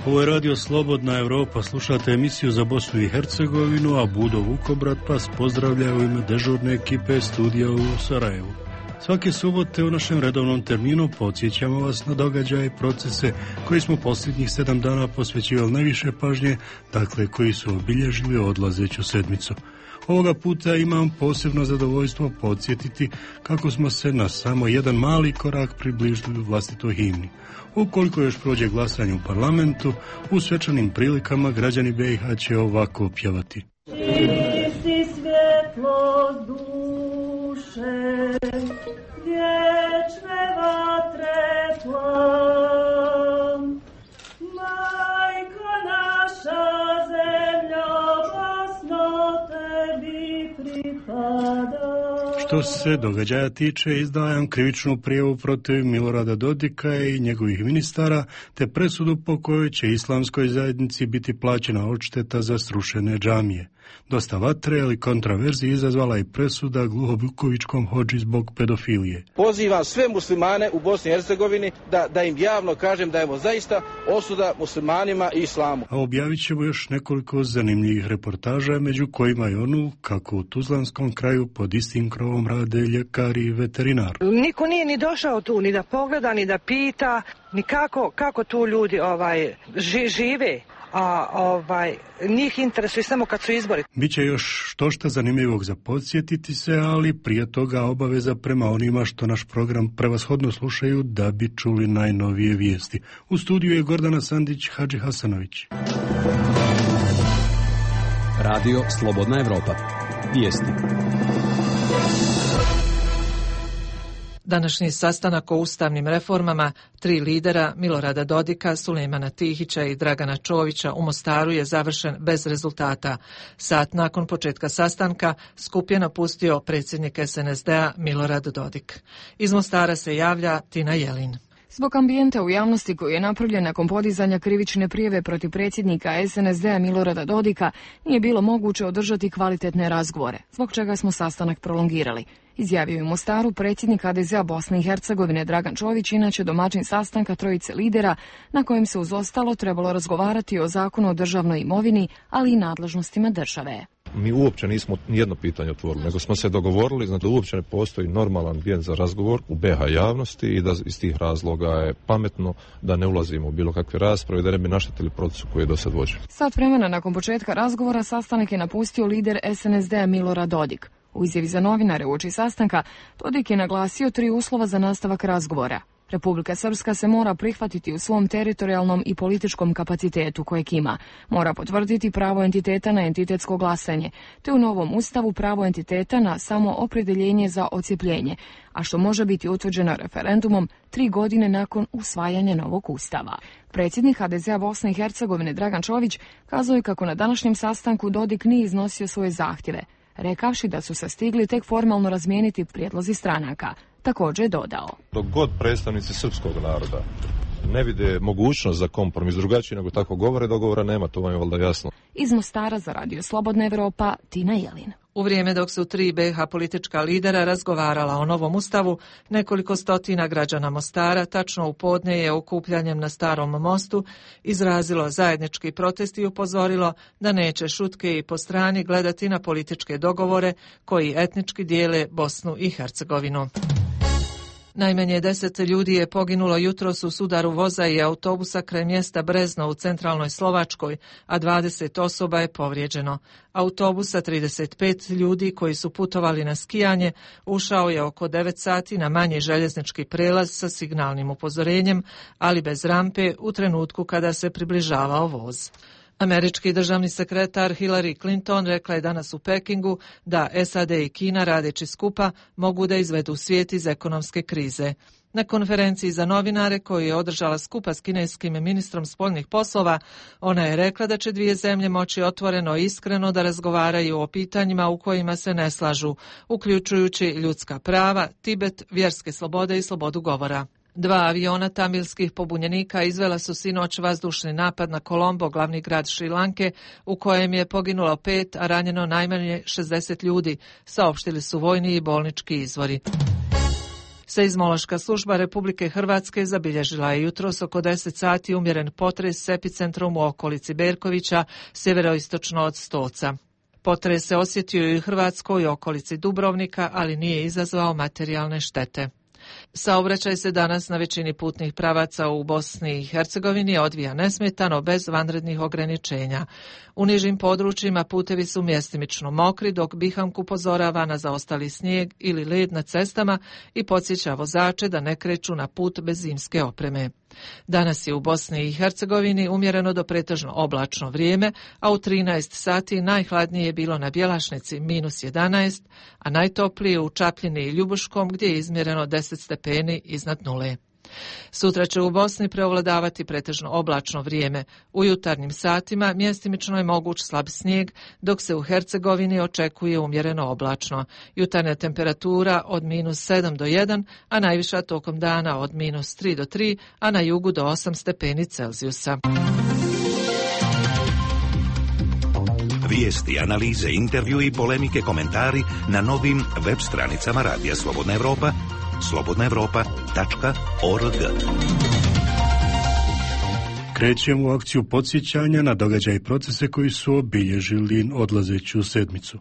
Ovo je radio Slobodna Europa, slušate emisiju za Bosnu i Hercegovinu, a Budo Vukobrat vas pozdravlja u ime dežurne ekipe studija u Sarajevu. Svake subote u našem redovnom terminu podsjećamo vas na događaje i procese koji smo posljednjih 7 dana posvećivali najviše pažnje, dakle koji su obilježili odlazeću sedmicu. Ovoga puta imam posebno zadovoljstvo podsjetiti kako smo se na samo jedan mali korak približili vlastitoj himni. Ukoliko još prođe glasanje u parlamentu, u svečanim prilikama građani BiH će ovako pjevati. Ti si svjetlo duše, vječne vatre plan, majko naša zemlja, Bosno tebi pripada. Što se događaja tiče, izdajam krivičnu prijavu protiv Milorada Dodika i njegovih ministara, te presudu po kojoj će islamskoj zajednici biti plaćena odšteta za srušene džamije. Dosta vatre, ali kontraverzije izazvala i presuda Gluhovukovičkom hodži zbog pedofilije. Pozivam sve muslimane u Bosni i Hercegovini da im javno kažem da je zaista osuda muslimanima i islamu. A objavit ćemo još nekoliko zanimljivih reportaža, među kojima je onu kako u Tuzlanskom kraju pod istim krovom rade ljekari i veterinar. Niko nije ni došao tu, ni da pogleda, ni da pita, ni kako tu ljudi žive. A njih interesuje samo kad su izbori. Biće još štošta zanimljivog za podsjetiti se, ali prije toga obaveza prema onima što naš program prevashodno slušaju da bi čuli najnovije vijesti. U studiju je Gordana Sandić, Hadži Hasanović. Radio Slobodna Europa. Vijesti. Današnji sastanak o ustavnim reformama 3 lidera Milorada Dodika, Sulejmana Tihića i Dragana Čovića u Mostaru je završen bez rezultata. Sat nakon početka sastanka skup je napustio predsjednik SNSD-a Milorad Dodik. Iz Mostara se javlja Tina Jelin. Zbog ambijenta u javnosti koji je napravljen nakon podizanja krivične prijave protiv predsjednika SNSD-a Milorada Dodika, nije bilo moguće održati kvalitetne razgovore, zbog čega smo sastanak prolongirali. Izjavio je u Mostaru predsjednik HDZ-a Bosne i Hercegovine Dragan Čović, inače domaćin sastanka trojice lidera, na kojem se uz ostalo trebalo razgovarati o zakonu o državnoj imovini, ali i nadležnostima države. Mi uopće nismo nijedno pitanje otvorili, nego smo se dogovorili da uopće ne postoji normalan ambijent za razgovor u BiH javnosti i da iz tih razloga je pametno da ne ulazimo u bilo kakve rasprave, da ne bi naštetili procesu koji je do sad vođen. Sat vremena nakon početka razgovora sastanak je napustio lider SNSD-a Milorad Dodik. U izjavi za novinare uoči sastanka, Dodik je naglasio 3 uslova za nastavak razgovora. Republika Srpska se mora prihvatiti u svom teritorijalnom i političkom kapacitetu kojeg ima. Mora potvrditi pravo entiteta na entitetsko glasanje, te u novom ustavu pravo entiteta na samo opredjeljenje za odcjepljenje, a što može biti utvrđeno referendumom 3 godine nakon usvajanja novog ustava. Predsjednik HDZ-a Bosne i Hercegovine Dragan Čović kazao je kako na današnjem sastanku Dodik nije iznosio svoje zahtjeve, rekavši da su se stigli tek formalno razmijeniti prijedlozi stranaka. Također je dodao: dok god predstavnici srpskog naroda ne vide mogućnost za kompromis drugačiji nego tako govore, dogovora nema, to vam je valjda jasno. Iz Mostara za Radio Slobodna Europa, Tina Jelin. U vrijeme dok su 3 BiH politička lidera razgovarala o novom ustavu, nekoliko stotina građana Mostara, tačno u podne je okupljanjem na Starom mostu, izrazilo zajednički protest i upozorilo da neće šutke i po strani gledati na političke dogovore koji etnički dijele Bosnu i Hercegovinu. Najmanje 10 ljudi je poginulo jutros u sudaru voza i autobusa kraj mjesta Brezno u centralnoj Slovačkoj, a 20 osoba je povrijeđeno. Autobus sa 35 ljudi koji su putovali na skijanje ušao je oko 9 sati na manji željeznički prelaz sa signalnim upozorenjem, ali bez rampe u trenutku kada se približavao voz. Američki državni sekretar Hillary Clinton rekla je danas u Pekingu da SAD i Kina radeći skupa mogu da izvedu svijet iz ekonomske krize. Na konferenciji za novinare koju je održala skupa s kineskim ministrom spoljnih poslova, ona je rekla da će 2 zemlje moći otvoreno i iskreno da razgovaraju o pitanjima u kojima se ne slažu, uključujući ljudska prava, Tibet, vjerske slobode i slobodu govora. 2 aviona tamilskih pobunjenika izvela su sinoć vazdušni napad na Kolombo, glavni grad Šrilanke, u kojem je poginulo 5, a ranjeno najmanje 60 ljudi, saopštili su vojni i bolnički izvori. Seizmološka služba Republike Hrvatske zabilježila je jutros oko 10 sati umjeren potres s epicentrom u okolici Berkovića, sjeveroistočno od Stoca. Potres se osjetio i u Hrvatskoj i okolici Dubrovnika, ali nije izazvao materijalne štete. Saobraćaj se danas na većini putnih pravaca u Bosni i Hercegovini odvija nesmetano bez vanrednih ograničenja. U nižim područjima putevi su mjestimično mokri, dok BiHAMK upozorava na zaostali snijeg ili led na cestama i podsjeća vozače da ne kreću na put bez zimske opreme. Danas je u Bosni i Hercegovini umjereno do pretežno oblačno vrijeme, a u 13 sati najhladnije je bilo na Bjelašnici -11, a najtoplije u Čapljini i Ljubuškom gdje je izmjereno 10 stepeni iznad nule. Sutra će u Bosni preovladavati pretežno oblačno vrijeme. U jutarnjim satima mjestimično je moguć slab snijeg, dok se u Hercegovini očekuje umjereno oblačno. Jutarnja temperatura od -7 do 1, a najviša tokom dana od -3 do 3, a na jugu do 8 stepeni Celzijusa. Vijesti, analize, intervju i polemike, komentari na novim web stranicama Radija Slobodna Evropa, slobodnaevropa.org. Krećemo u akciju podsjećanja na događaje i procese koji su obilježili odlazeću sedmicu.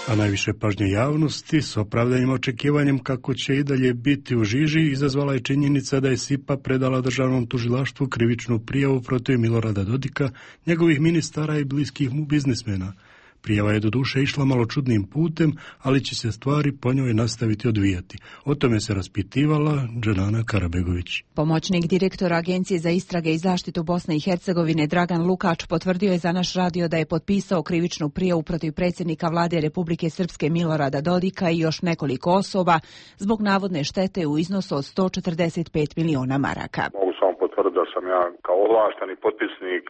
A najviše pažnje javnosti s opravdanim očekivanjem kako će i dalje biti u žiži izazvala je činjenica da je SIPA predala državnom tužilaštvu krivičnu prijavu protiv Milorada Dodika, njegovih ministara i bliskih mu biznismena. Prijava je doduše išla malo čudnim putem, ali će se stvari po njoj nastaviti odvijati. O tome se raspitivala Dženana Karabegović. Pomoćnik direktora Agencije za istrage i zaštitu Bosne i Hercegovine Dragan Lukač potvrdio je za naš radio da je potpisao krivičnu prijavu protiv predsjednika vlade Republike Srpske Milorada Dodika i još nekoliko osoba zbog navodne štete u iznosu od 145 miliona maraka. Da sam ja kao ovlašteni potpisnik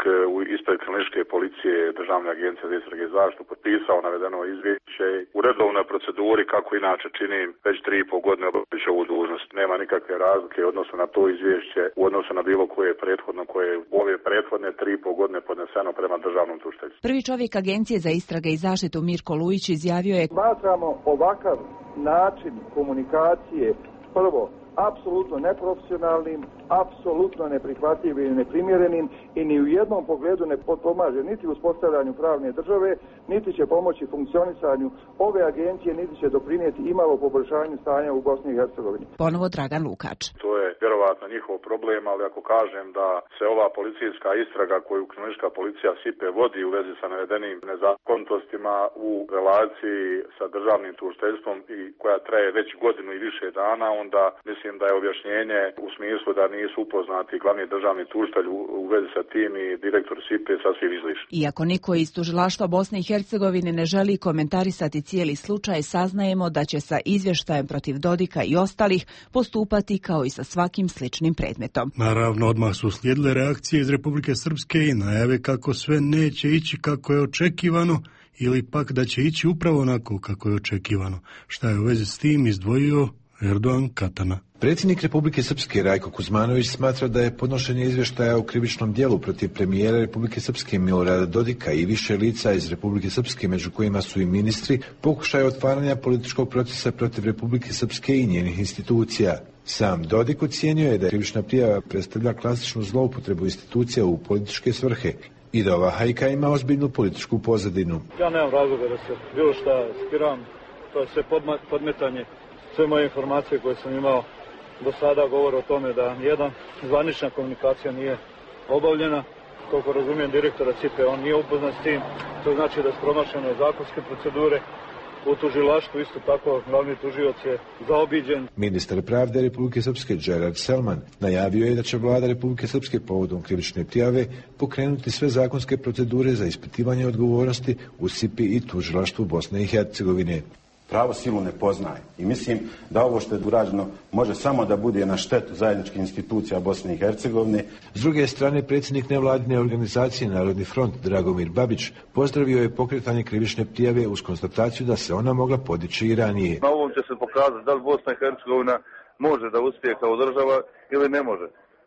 ispred kriminalističke policije Državne agencije za istrage i zaštitu potpisao navedeno izvješće u redovnoj proceduri kako inače činim već 3,5 godine obavljajući ovu dužnost. Nema nikakve razlike u odnosu na to izvješće u odnosu na bilo koje prethodno koje je u ove prethodne 3,5 godine podneseno prema državnom tužiteljstvu. Prvi čovjek Agencije za istrage i zaštitu Mirko Lujić izjavio je: Smatramo ovakav način komunikacije prvo apsolutno neprofesionalnim, apsolutno neprihvatljivim i neprimjerenim i ni u jednom pogledu ne pomaže niti uspostavljanju pravne države, niti će pomoći funkcionisanju ove agencije, niti će doprinijeti imalo poboljšanju stanja u Bosni i Hercegovini. Ponovo Dragan Lukač. To je vjerovatno njihov problem, ali ako kažem da se ova policijska istraga koju kriminalistička policija SIPE vodi u vezi sa navedenim nezakonitostima u relaciji sa državnim tužiteljstvom i koja traje već godinu i više dana, onda mislim da je objašnjenje u smislu da nisu upoznati glavni državni tužitelj u vezi sa tim i direktor SIPE sasvim izlišno. Iako niko iz tužilaštva Bosne i Hercegovine ne želi komentarisati cijeli slučaj, saznajemo da će sa izvještajem protiv Dodika i ostalih postupati kao i sa svakim sličnim predmetom. Naravno, odmah su slijedile reakcije iz Republike Srpske i najave kako sve neće ići kako je očekivano ili pak da će ići upravo onako kako je očekivano. Šta je u vezi s tim izdvojio Erdogan Katana. Predsjednik Republike Srpske Rajko Kuzmanović smatra da je podnošenje izvještaja o krivičnom djelu protiv premijera Republike Srpske Milorada Dodika i više lica iz Republike Srpske, među kojima su i ministri, pokušaj otvaranja političkog procesa protiv Republike Srpske i njenih institucija. Sam Dodik ocijenio je da krivična prijava predstavlja klasičnu zloupotrebu institucija u političke svrhe i da ova hajka ima ozbiljnu političku pozadinu. Ja nemam razloga da se bilo šta skiram, to je sve podmetanje. Sve moje informacije koje sam imao do sada govore o tome da nijedan zvanična komunikacija nije obavljena. Koliko razumijem direktora CIPE, on nije upoznat s tim. To znači da su promašene zakonske procedure. U tužilaštvu isto tako glavni tužioc je zaobiđen. Ministar pravde Republike Srpske Gerard Selman najavio je da će vlada Republike Srpske povodom krivične prijave pokrenuti sve zakonske procedure za ispitivanje odgovornosti u SIPI i tužilaštvu Bosne i Hercegovine. Pravo silu ne poznaje i mislim da ovo što je urađeno može samo da bude na štetu zajedničkih institucija Bosne i Hercegovine. S druge strane, predsjednik nevladine organizacije Narodni front Dragomir Babić pozdravio je pokretanje krivične prijave uz konstataciju da se ona mogla podići i ranije. Na ovom će se pokazati da li Bosna i Hercegovina može da uspije kao država ili ne može.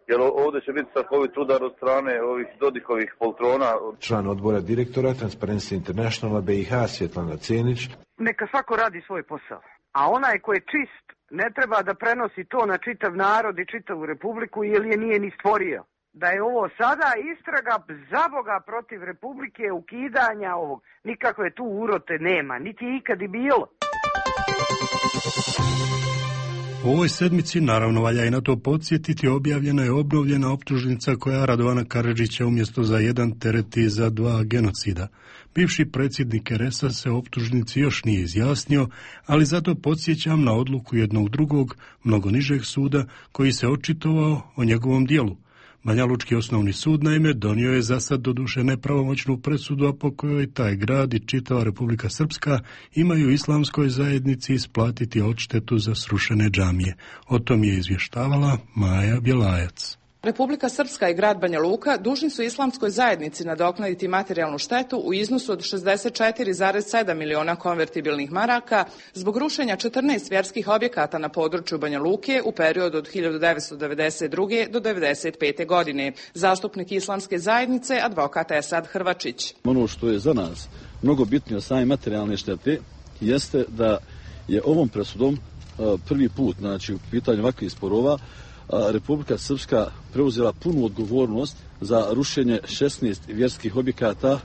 jer ovdje će biti strahovit udar od strane ovih Dodikovih poltrona. Član odbora direktora Transparency Internationala BiH Svjetlana Cenić. Neka svako radi svoj posao, a onaj ko je čist ne treba da prenosi to na čitav narod i čitavu republiku jer je nije ni stvorio. Da je ovo sada istraga za Boga protiv republike, ukidanja ovog. Nikakve tu urote nema, niti ikad i bilo. U ovoj sedmici, naravno valja i na to podsjetiti, objavljena je obnovljena optužnica koja Radovana Karadžića umjesto za jedan tereti za 2 genocida. Bivši predsjednik RS-a se optužnici još nije izjasnio, ali zato podsjećam na odluku jednog drugog, mnogo nižeg suda, koji se očitovao o njegovom dijelu. Banjalučki osnovni sud naime donio je za sad doduše nepravomoćnu presudu, a po kojoj taj grad i čitava Republika Srpska imaju islamskoj zajednici isplatiti odštetu za srušene džamije. O tom je izvještavala Maja Bjelajac. Republika Srpska i grad Banja Luka dužni su islamskoj zajednici nadoknaditi materijalnu štetu u iznosu od 64,7 miliona konvertibilnih maraka zbog rušenja 14 vjerskih objekata na području Banja Luke u periodu od 1992. do 1995. godine. Zastupnik islamske zajednice, advokat Esad Hrvačić. Ono što je za nas mnogo bitnije od same materijalne štete jeste da je ovom presudom prvi put, znači u pitanju ovakvih sporova, Republika Srpska preuzela punu odgovornost za rušenje 16 vjerskih objekata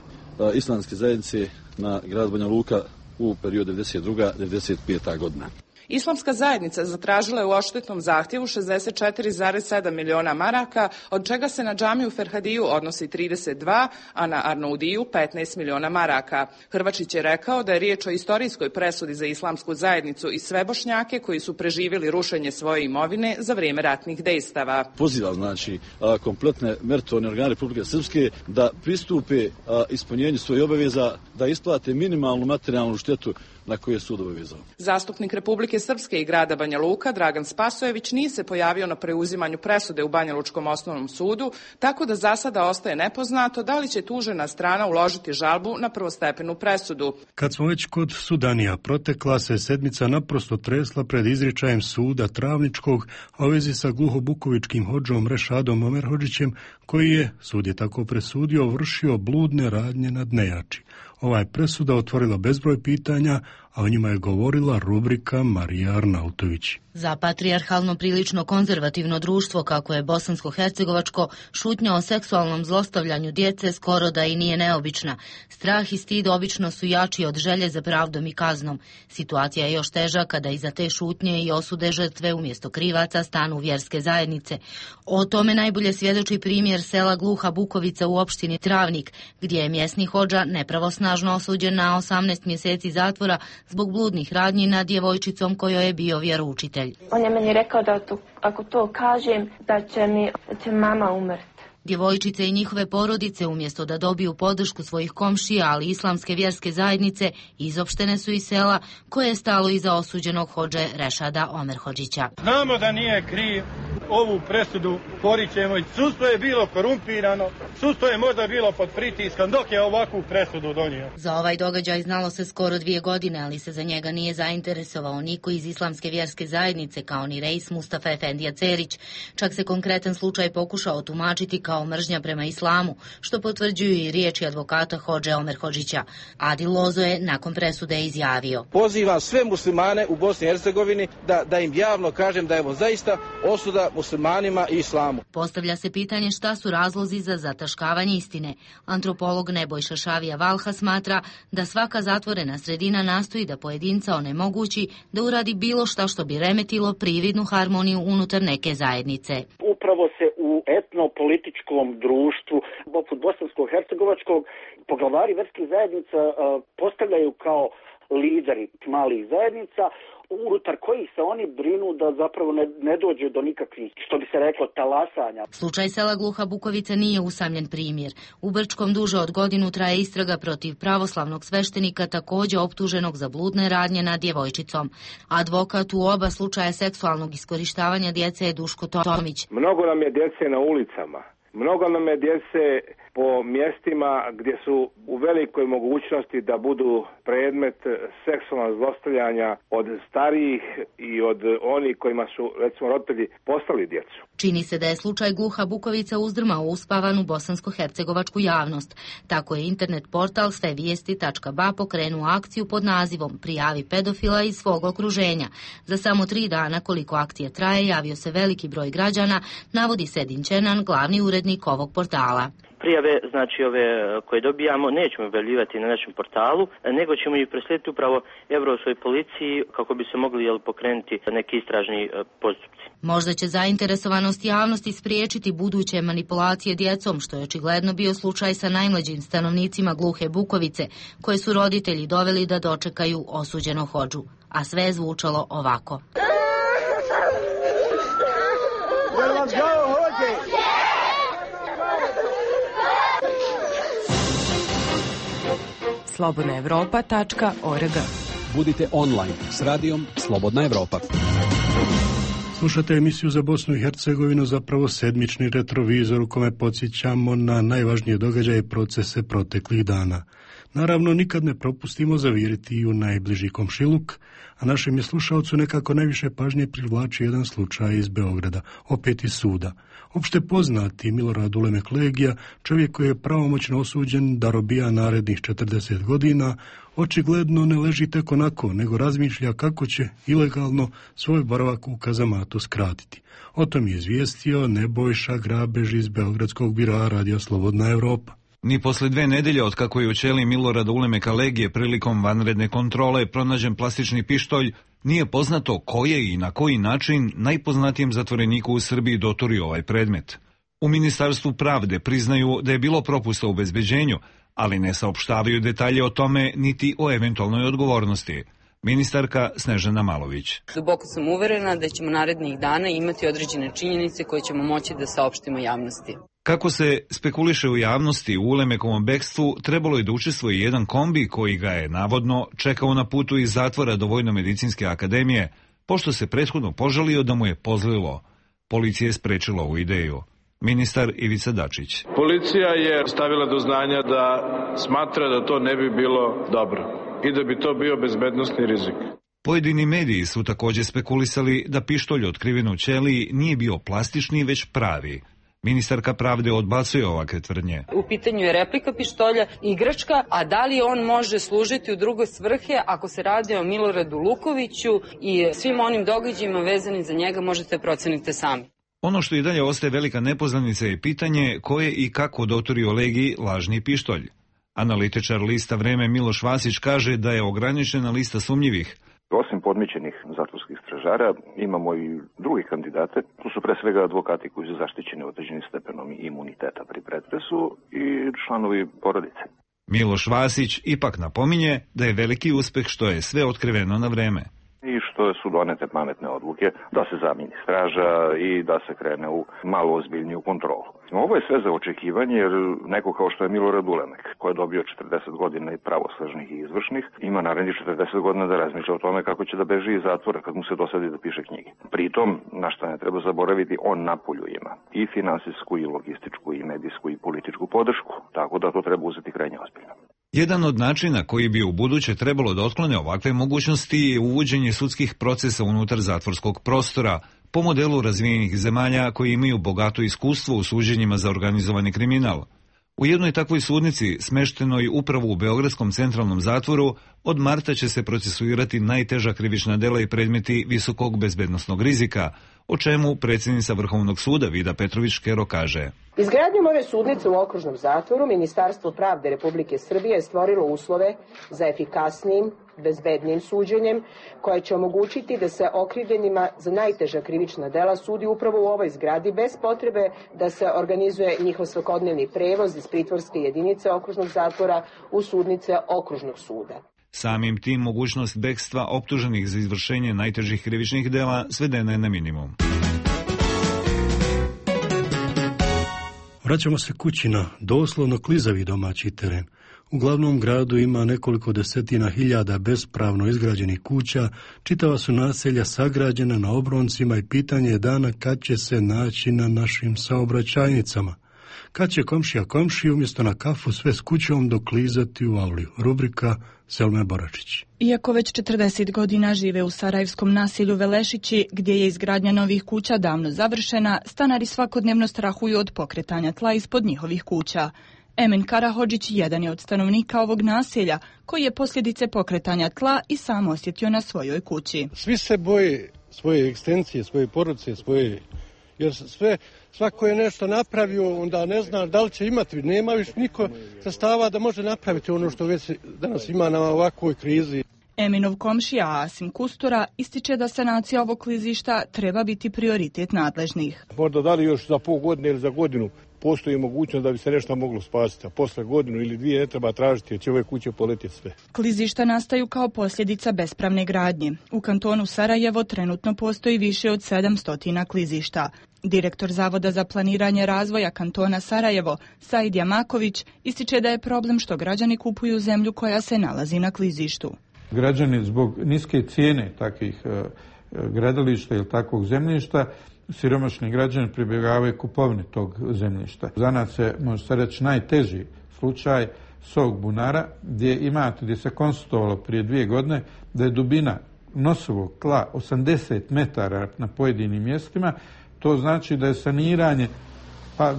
islamske zajednice na grad Banja Luka u periodu 1992-1995. godina. Islamska zajednica zatražila je u odštetnom zahtjevu 64,7 miliona maraka, od čega se na džamiju Ferhadiju odnosi 32, a na Arnaudiju 15 miliona maraka. Hrvačić je rekao da je riječ o istorijskoj presudi za islamsku zajednicu i sve Bošnjake koji su preživjeli rušenje svoje imovine za vrijeme ratnih dejstava. Poziva znači kompletne meritorne organe Republike Srpske da pristupe ispunjenju svojih obaveza, da isplate minimalnu materijalnu štetu na koje je sud obavezao. Zastupnik Republike Srpske i grada Banja Luka, Dragan Spasojević, nije se pojavio na preuzimanju presude u Banjalučkom osnovnom sudu, tako da za sada ostaje nepoznato da li će tužena strana uložiti žalbu na prvostepenu presudu. Kad smo već kod sudanija, protekla se sedmica naprosto tresla pred izričajem suda Travničkog, a u vezi sa gluhobukovičkim hodžom Rešadom Omerhodžićem, koji je, sud je tako presudio, vršio bludne radnje nad nejači. Ova je presuda otvorila bezbroj pitanja, a o njima je govorila rubrika Marija Arnautović. Za patrijarhalno prilično konzervativno društvo, kako je bosansko-hercegovačko, šutnja o seksualnom zlostavljanju djece skoro da i nije neobična. Strah i stid obično su jači od želje za pravdom i kaznom. Situacija je još teža kada iza te šutnje i osude žrtve umjesto krivaca stanu vjerske zajednice. O tome najbolje svjedoči primjer sela Gluha Bukovica u opštini Travnik, gdje je mjesni hodža nepravosnažno osuđen na 18 mjeseci zatvora zbog bludnih radnji nad djevojčicom kojoj je bio vjeroučitelj. On je meni rekao da ako to kažem, da će mama umrti. Djevojčice i njihove porodice, umjesto da dobiju podršku svojih komšija, ali islamske vjerske zajednice, izopštene su iz sela koje je stalo iza osuđenog hodže Rešada Omerhodžića. Znamo da nije kriv, ovu presudu porićemo i sudstvo je bilo korumpirano, sudstvo je možda bilo pod pritiskom dok je ovakvu presudu donio. Za ovaj događaj znalo se skoro 2 godine, ali se za njega nije zainteresovao niko iz islamske vjerske zajednice, kao ni reis Mustafa Efendija Cerić. Čak se konkretan slučaj pokušao tumačiti kao mržnja prema islamu, što potvrđuju i riječi advokata hodže Omerhodžića. Adil Lozo je nakon presude izjavio: Pozivam sve muslimane u Bosni i Hercegovini da im javno kažem da je ovo zaista osuda muslimanima i islamu. Postavlja se pitanje šta su razlozi za zataškavanje istine. Antropolog Nebojša Šavija Valha smatra da svaka zatvorena sredina nastoji da pojedinca onemogući da uradi bilo šta što bi remetilo prividnu harmoniju unutar neke zajednice. Upravo se u etnopolitičkom društvu, poput bosansko-hercegovačkog, poglavari verskih zajednica postavljaju kao lideri malih zajednica, unutar kojih se oni brinu da zapravo ne dođe do nikakvih, što bi se reklo, talasanja. Slučaj sela Gluha Bukovica nije usamljen primjer. U Brčkom duže od godinu traje istraga protiv pravoslavnog sveštenika, također optuženog za bludne radnje nad djevojčicom. Advokat u oba slučaja seksualnog iskorištavanja djece je Duško Tomić. Mnogo nam je djece na ulicama. Mnogo nam je djece po mjestima gdje su u velikoj mogućnosti da budu predmet seksualnog zlostavljanja od starijih i od onih kojima su, recimo, roditelji poslali djecu. Čini se da je slučaj Gluha Bukovica uzdrmao uspavanu bosansko-hercegovačku javnost. Tako je internet portal svevijesti.ba pokrenuo akciju pod nazivom Prijavi pedofila iz svog okruženja. Za samo 3 dana koliko akcija traje javio se veliki broj građana, navodi Sedin Čenan, glavni urednik ovog portala. Prijave, znači ove koje dobijamo, nećemo objavljivati na našem portalu, nego ćemo ih preslijediti upravo Europskoj policiji kako bi se mogli pokrenuti neki istražni postupci. Možda će zainteresovanost javnosti spriječiti buduće manipulacije djecom, što je očigledno bio slučaj sa najmlađim stanovnicima Gluhe Bukovice, koje su roditelji doveli da dočekaju osuđenog hodžu. A sve je zvučalo ovako. slobodnaevropa.org. Budite online s radijom Slobodna Evropa. Slušate emisiju za Bosnu i Hercegovinu, zapravo sedmični retrovizor u kome podsjećamo na najvažnije događaje i procese proteklih dana. Naravno, nikad ne propustimo zaviriti i u najbliži komšiluk, a našem je slušalcu nekako najviše pažnje privlači jedan slučaj iz Beograda, opet iz suda. Opšte poznati Milorad Ulemek Legija, čovjek koji je pravomoćno osuđen da robija narednih 40 godina, očigledno ne leži tek onako, nego razmišlja kako će ilegalno svoj boravak u kazamatu skratiti. O tom je izvijestio Nebojša Grabež iz Beogradskog biroa Radio Slobodna Evropa. Ni posle 2 nedelje od kako je u ćeliji Milorada Ulemeka Legije prilikom vanredne kontrole pronađen plastični pištolj, nije poznato ko je i na koji način najpoznatijem zatvoreniku u Srbiji doturio ovaj predmet. U Ministarstvu pravde priznaju da je bilo propusta u obezbeđenju, ali ne saopštavaju detalje o tome niti o eventualnoj odgovornosti. Ministarka Snežana Malović. Duboko sam uverena da ćemo narednih dana imati određene činjenice koje ćemo moći da saopštimo javnosti. Kako se spekuliše u javnosti, u Ulemekovom bekstvu trebalo je da učestvuje jedan kombi koji ga je, navodno, čekao na putu iz zatvora do Vojno-medicinske akademije, pošto se prethodno požalio da mu je pozlilo. Policija je sprečila ovu ideju. Ministar Ivica Dačić. Policija je stavila do znanja da smatra da to ne bi bilo dobro i da bi to bio bezbednosni rizik. Pojedini mediji su također spekulisali da pištolj otkriven u ćeliji nije bio plastični, već pravi. Ministarka pravde odbacuje ovakve tvrdnje. U pitanju je replika pištolja, igračka, a da li on može služiti u druge svrhe ako se radi o Miloradu Lukoviću i svim onim događajima vezanim za njega možete proceniti sami. Ono što i dalje ostaje velika nepoznanica je pitanje ko je i kako doturio Legiji lažni pištolj. Analitičar lista Vreme Miloš Vasić kaže da je ograničena lista sumnjivih. Osim podmićenih zatvorskih stražara, imamo i drugi kandidate. Tu su pre svega advokati koji su zaštićeni određenim stepenom imuniteta pri pretresu i članovi porodice. Miloš Vasić ipak napominje da je veliki uspeh što je sve otkriveno na vreme. I što su donete pametne odluke da se zamijeni straža i da se krene u malo ozbiljniju kontrolu. Ovo je sve za očekivanje jer neko kao što je Milorad Ulemek, koji je dobio 40 godina i pravosnažnih i izvršnih, ima narednih 40 godina da razmišlja o tome kako će da beži iz zatvora kad mu se dosadi da piše knjige. Pritom, na što ne treba zaboraviti, on napolju ima i finansijsku i logističku i medijsku i političku podršku, tako da to treba uzeti krajnje ozbiljno. Jedan od načina koji bi u buduće trebalo da otklone ovakve mogućnosti je uvođenje sudskih procesa unutar zatvorskog prostora, po modelu razvijenih zemalja koji imaju bogato iskustvo u suđenjima za organizovani kriminal. U jednoj takvoj sudnici, smeštenoj upravo u Beogradskom centralnom zatvoru, od marta će se procesuirati najteža krivična dela i predmeti visokog bezbednosnog rizika, o čemu predsjednica Vrhovnog suda Vida Petrović-Škero kaže. Izgradnjom ove sudnice u okružnom zatvoru Ministarstvo pravde Republike Srbije je stvorilo uslove za efikasnijim, bezbednijim suđenjem, koje će omogućiti da se okrivljenima za najteža krivična dela sudi upravo u ovoj zgradi bez potrebe da se organizuje njihov svakodnevni prevoz iz pritvorske jedinice okružnog zatvora u sudnice okružnog suda. Samim tim mogućnost bekstva optuženih za izvršenje najtežih krivičnih dela svedena je na minimum. Vraćamo se kući na doslovno klizavi domaći teren. U glavnom gradu ima nekoliko desetina hiljada bespravno izgrađenih kuća, čitava su naselja sagrađena na obroncima i pitanje je dana kad će se naći na našim saobraćajnicama. kad će komšija komšiji umjesto na kafu sve s kućom doklizati u avliju. Rubrika Selme Boračić. Iako već 40 godina žive u sarajevskom naselju Velešići, gdje je izgradnja novih kuća davno završena, stanari svakodnevno strahuju od pokretanja tla ispod njihovih kuća. Emin Karahodžić jedan je od stanovnika ovog naselja, koji je posljedice pokretanja tla i sam osjetio na svojoj kući. Svi se boje svoje ekstencije, svoje porodice, jer svako je nešto napravio, onda ne zna da li će imati, nema više niko sredstava da može napraviti ono što već danas ima na ovakvoj krizi. Eminov komšija Asim Kustura ističe da sanacija ovog klizišta treba biti prioritet nadležnih. Možda da li još za pol godine ili za godinu postoji mogućnost da bi se nešto moglo spasiti, a posle godinu ili dvije ne treba tražiti jer će ove kuće poletjeti sve. Klizišta nastaju kao posljedica bespravne gradnje. U kantonu Sarajevo trenutno postoji više od 700 klizišta. Direktor Zavoda za planiranje razvoja kantona Sarajevo, Said Jamaković, ističe da je problem što građani kupuju zemlju koja se nalazi na klizištu. Građani zbog niske cijene takvih gradilišta ili takvog zemljišta, siromašni građani pribjegavaju kupovini tog zemljišta. Za nas se, može se reći, najteži slučaj Sog bunara, gdje se konstatovalo prije 2 godine da je dubina nosovog tla 80 metara na pojedinim mjestima. To znači da je saniranje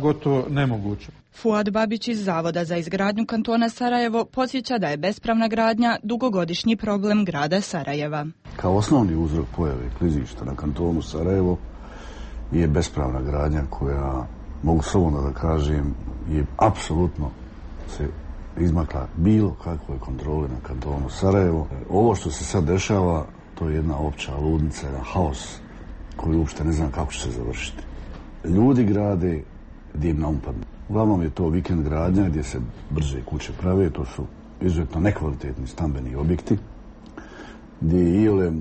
gotovo nemoguće. Fuad Babić iz Zavoda za izgradnju kantona Sarajevo podsjeća da je bespravna gradnja dugogodišnji problem grada Sarajeva. Kao osnovni uzrok pojave klizišta na kantonu Sarajevo je bespravna gradnja koja, mogu slobodno da kažem, je apsolutno se izmakla bilo kakvoj kontroli na kantonu Sarajevo. Ovo što se sad dešava, to je jedna opća ludnica, jedan haos koji uopšte ne znam kako će se završiti. Ljudi grade gdje im naumpadne. Uglavnom je to vikend gradnja gdje se brže kuće prave, to su izuzetno nekvalitetni stambeni objekti, gdje je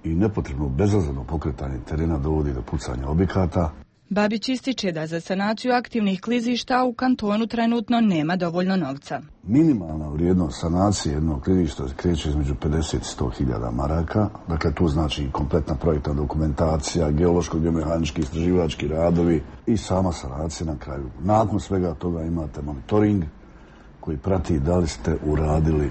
i nepotrebno bezazleno pokretanje terena dovodi do pucanja objekata. Babić ističe da za sanaciju aktivnih klizišta u kantonu trenutno nema dovoljno novca. Minimalna vrijednost sanacije jednog klizišta kreće između 50 i 100 hiljada maraka. Dakle, tu znači kompletna projektna dokumentacija, geološko-geomehanički istraživački radovi i sama sanacija na kraju. Nakon svega toga imate monitoring koji prati da li ste uradili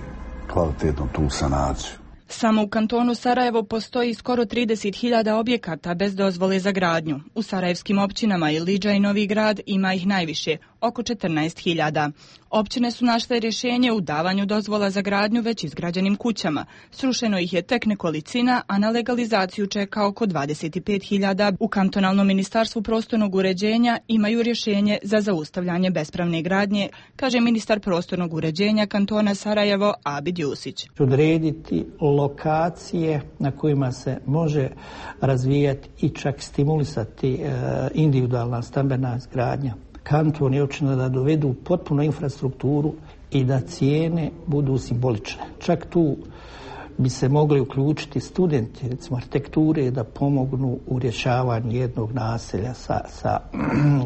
kvalitetno tu sanaciju. Samo u kantonu Sarajevo postoji skoro 30.000 objekata bez dozvole za gradnju. U sarajevskim općinama Ilidža i Novi Grad ima ih najviše, oko 14.000. Općine su našle rješenje u davanju dozvola za gradnju već izgrađenim kućama. Srušeno ih je tek nekolicina, a na legalizaciju čeka oko 25.000. U kantonalnom ministarstvu prostornog uređenja imaju rješenje za zaustavljanje bespravne gradnje, kaže ministar prostornog uređenja kantona Sarajevo Abid Jusić. Odrediti lokacije na kojima se može razvijati i čak stimulisati individualna stambena izgradnja. Kanton i općina da dovedu potpuno infrastrukturu i da cijene budu simbolične. Čak tu bi se mogli uključiti studenti, recimo arhitekture, da pomognu u rješavanju jednog naselja sa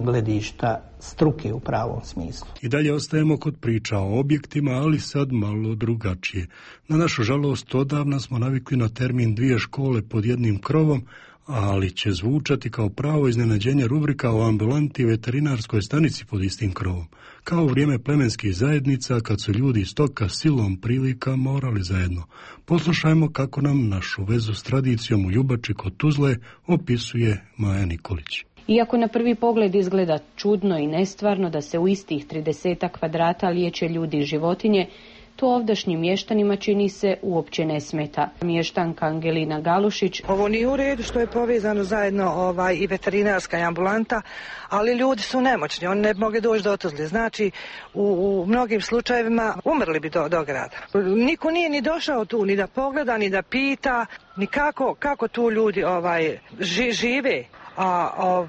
gledišta struke u pravom smislu. I dalje ostajemo kod priča o objektima, ali sad malo drugačije. Na našu žalost, odavna smo navikli na termin 2 škole pod jednim krovom, ali će zvučati kao pravo iznenađenje rubrika o ambulanti veterinarskoj stanici pod istim krovom. Kao u vrijeme plemenskih zajednica, kad su ljudi iz stoka silom prilika morali zajedno. Poslušajmo kako nam našu vezu s tradicijom u Ljubači kod Tuzle opisuje Maja Nikolić. Iako na prvi pogled izgleda čudno i nestvarno da se u istih 30 kvadrata liječe ljudi i životinje, to ovdašnjim mještanima čini se uopće ne smeta. Mještanka Angelina Galušić. Ovo nije u redu što je povezano zajedno i veterinarska i ambulanta, ali ljudi su nemoćni, oni ne bi mogli doći do Tuzle. Znači, u mnogim slučajevima umrli bi do grada. Niko nije ni došao tu, ni da pogleda, ni da pita, ni kako tu ljudi žive. A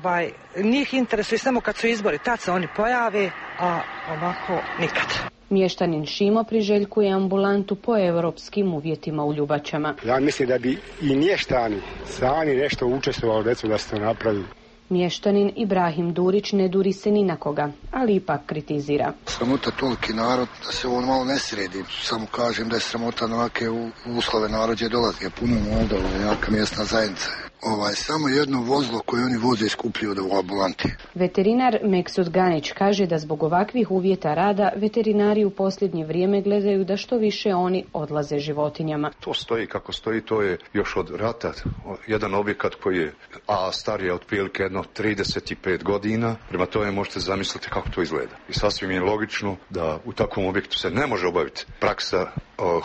njih interesuje samo kad su izbori, tad se oni pojave, a ovako nikad. Mještanin Šimo priželjkuje ambulantu po europskim uvjetima u Ljubačama. Ja mislim da bi i mještani sami nešto učestvovali, recimo da se to napravi. Mještanin Ibrahim Durić ne duri se ni na koga, ali ipak kritizira. Sramota toliki narod da se on malo ne sredi. Samo kažem da je sramota na ovake uslove narod je dolazi. Je puno Moldova, jaka mjesna zajednica. samo jedno vozilo koje oni voze iskupljuju u ambulanti. Veterinar Meksud Ganić kaže da zbog ovakvih uvjeta rada veterinari u posljednje vrijeme gledaju da što više oni odlaze životinjama. To stoji kako stoji, to je još od rata. Jedan objekat koji je star je otprilike 35 godina. Prema tome možete zamisliti kako to izgleda. I sasvim je logično da u takvom objektu se ne može obaviti praksa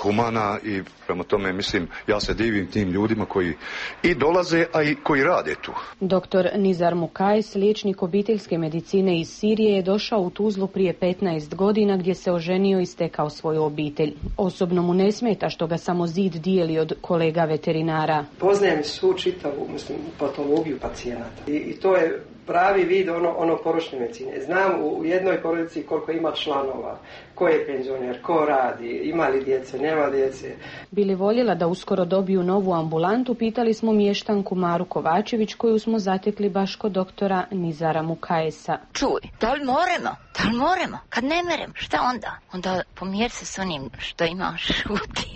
humana i prema tome mislim ja se divim tim ljudima koji i dolaze, a i koji rade tu. Dr. Nizar Mukajs, liječnik obiteljske medicine iz Sirije, je došao u Tuzlu prije 15 godina gdje se oženio i stekao svoju obitelj. Osobno mu ne smeta što ga samo zid dijeli od kolega veterinara. Poznajem svu čitavu patologiju pacijenata i to je pravi vid ono poročne medicine. Znam u jednoj porodici koliko ima članova, ko je penzioner, ko radi, ima li djece, nema djece. Bili voljela da uskoro dobiju novu ambulantu, pitali smo mještanku Maru Kovačević koju smo zatekli baš kod doktora Nizara Mukajesa. Čuj, da li moremo? Kad ne merem, šta onda? Onda pomjer se s onim što imaš šuti.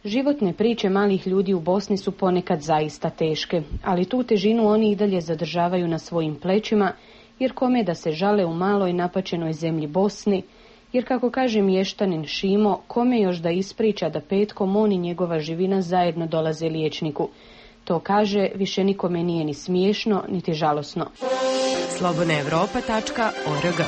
Životne priče malih ljudi u Bosni su ponekad zaista teške, ali tu težinu oni i dalje zadržavaju na svojim plećima, jer kome da se žale u maloj napačenoj zemlji Bosni, jer kako kaže mještanin Šimo, kome još da ispriča da petkom on i njegova živina zajedno dolaze liječniku. To kaže, više nikome nije ni smiješno, niti žalosno. slobodnaevropa.org.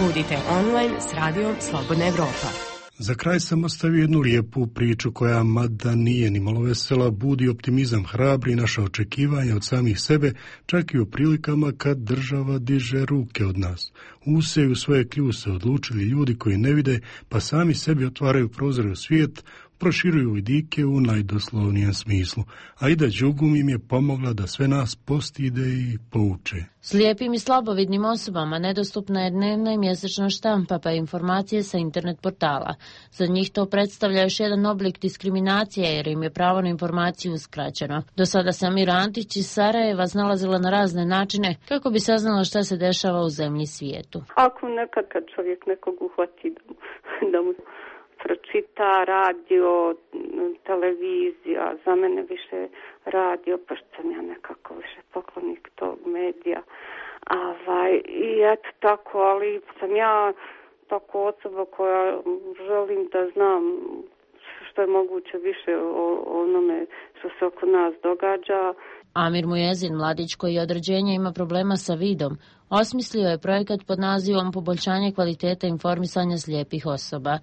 Budite online s radijom Slobodna Evropa. Za kraj sam ostavio jednu lijepu priču koja, mada nije ni malo vesela, budi optimizam, hrabri naša očekivanja od samih sebe, čak i u prilikama kad država diže ruke od nas. Useju svoje kljuse odlučili ljudi koji ne vide, pa sami sebi otvaraju prozore u svijet, proširuju vidike u najdoslovnijem smislu, a Ida Đugum im je pomogla da sve nas postide i pouče. Slijepim i slabovidnim osobama nedostupna je dnevna i mjesečna štampa pa informacije sa internet portala. Za njih to predstavlja još jedan oblik diskriminacije jer im je pravo na informaciju uskraćeno. Do sada se Amira Antić iz Sarajeva znalazila na razne načine kako bi saznala šta se dešava u zemlji i svijetu. Ako nekad kad čovjek nekog uhvati da mu pročita radio, televizija, za mene više radio, pa što sam ja nekako više poklonik tog medija. I eto tako, ali sam ja tako osoba koja želim da znam što je moguće više o onome što se oko nas događa. Amir Mujezin, mladić koji od rođenja ima problema sa vidom, osmislio je projekat pod nazivom Poboljšanje kvalitete informisanja slijepih osoba.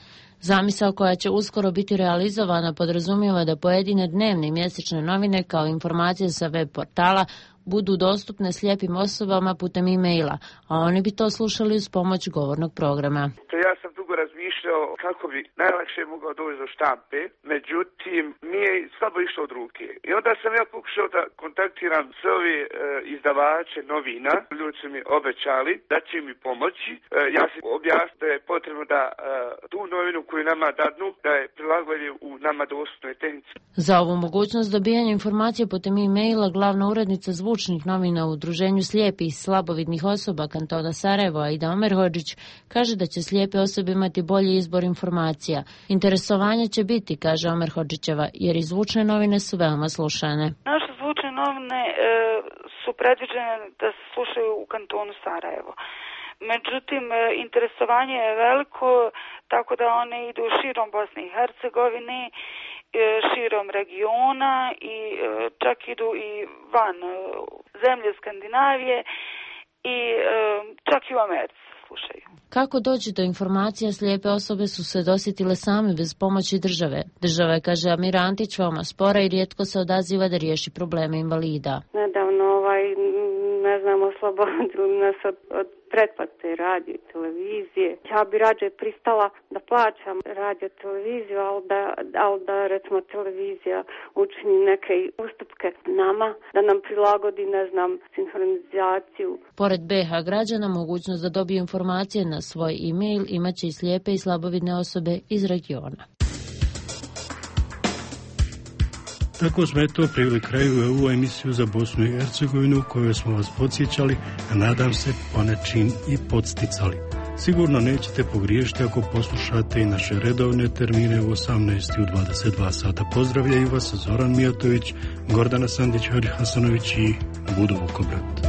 Zamisao koja će uskoro biti realizovana podrazumijeva da pojedine dnevne i mjesečne novine kao informacije sa web portala budu dostupne slijepim osobama putem e-maila, a oni bi to slušali uz pomoć govornog programa. Ja sam dugo razmišljao kako bi najlakše mogao doći do štampe, međutim mi je slabo išlo od ruke. I onda sam ja pokušao da kontaktiram sve ove izdavače novina, ljudi su mi obećali da će mi pomoći. Ja sam objasnio da je potrebno da tu novinu koju nama dadnu, da je prilagođen u nama dostupnoj tehnici. Za ovu mogućnost dobijanja informacije putem e-maila glavna urednica zvučnih novina u Udruženju slijepih i slabovidnih osoba kantona Sarajevo, Aida Omerhodžić, kaže da će slijepe osobe imati bolji izbor informacija. Interesovanje će biti, kaže Omerhodžićeva, jer i zvučne novine su veoma slušane. Naše zvučne novine su predviđene da se slušaju u kantonu Sarajevo. Međutim, interesovanje je veliko, tako da one idu širom Bosne i Hercegovine, širom regiona i čak idu i van zemlje Skandinavije i čak i u Americi slušaju. Kako doći do informacija, slijepe osobe su se dosjetile same bez pomoći države. Država je, kaže Amira Antić, veoma spora i rijetko se odaziva da riješi probleme invalida. Nedavno, oslobodili nas od pretplate radio i televizije. Ja bi rađe pristala da plaćam radio televiziju, ali da recimo televizija učini neke ustupke nama, da nam prilagodi, sinhronizaciju. Pored BH građana, mogućnost da dobiju informacije na svoj e-mail imaće i slijepe i slabovidne osobe iz regiona. Tako smo priveli kraju ovu emisiju za Bosnu i Hercegovinu u kojoj smo vas podsjećali, a nadam se ponečim i podsticali. Sigurno nećete pogriješiti ako poslušate i naše redovne termine u 18 i u 22 sata. Pozdravljaju vas Zoran Mijatović, Gordana Sandić, Hari Hasanović i Budo Vukobrat.